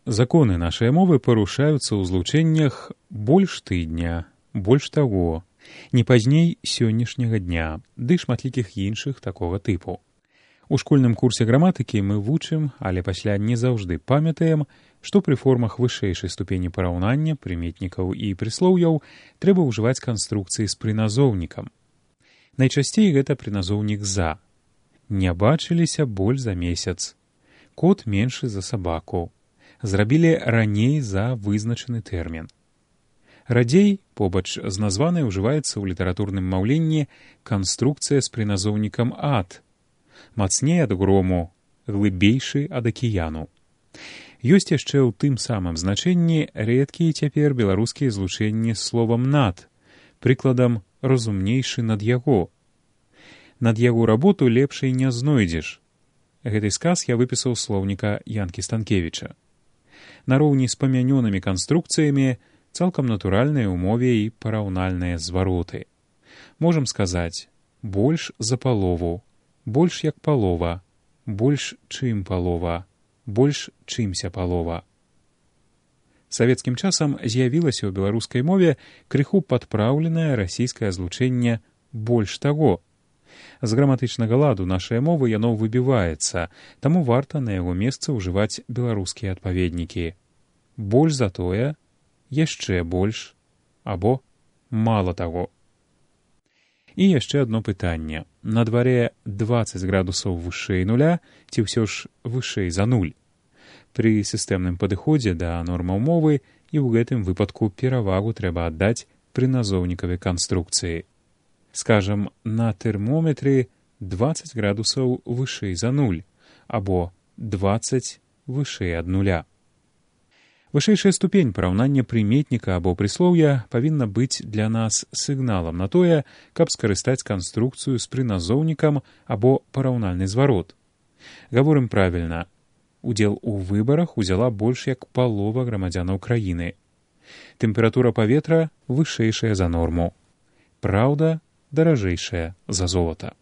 Законы нашай мовы парушаюцца ў злучэннях больш тыдня, больш таго, не пазней сённяшняга дня, ды шматлікіх іншых такога тыпу. У школьным курсе граматыкі мы вучым, але пасля не заўжды памятаем, што пры формах вышэйшай ступені параўнання прыметнікаў і прыслоўяў трэба ўжываць канструкцыі з прыназоўнікам. Найчасцей гэта прыназоўнік «за». Не бачыліся больш за месяц. Кот меншы за сабаку. Зрабілі раней за вызначаны тэрмін. Радзей, побач з названай, ужываецца ў літаратурным маўленні канструкцыя з прыназоўнікам «ад». Мацней ад грому, глыбейшы ад акіяну. Ёсць яшчэ ў тым самым значэнні рэдкія цяпер беларускія злучэнні з словам «над», прыкладам «разумнейшы над яго». Над яго работу лепшай не знойдзеш. Гэты сказ я выпісаў слоўніка Янкі Станкевіча. Нароўні з памянёнымі канструкцыямі цалкам натуральныя ў мове і параўнальныя звароты. Можам сказаць «больш за палову», «больш як палова», «больш чым палова», «больш чымся палова». Савецкім часам з'явілася ў беларускай мове крыху падпраўленае расійскае злучэнне «больш таго». З граматычнага ладу нашай мовы яно выбіваецца, таму варта на яго месцы ўжываць беларускія адпаведнікі. Больш за тое, яшчэ больш, або мала таго. І яшчэ адно пытанне. На дварэ 20 градусаў вышэй нуля ці ўсё ж вышэй за нуль? Пры сістэмным падыходзе да нормаў мовы і ў гэтым выпадку перавагу трэба аддаць прыназоўнікавай канструкцыі. Скажам, на тэрмометры 20 градусаў вышэй за нуль, або 20 вышэй ад нуля. Вышэйшая ступень параўнання прыметніка або прыслоўя павінна быць для нас сігналам на тое, каб скарыстаць канструкцыю з прыназоўнікам або параўнальны зварот. Гаворым правільна. Удзел у выбарах узяла больш як палова грамадзянаў краіны. Тэмпература паветра вышэйшая за норму. Праўда, даражэйшая за золата.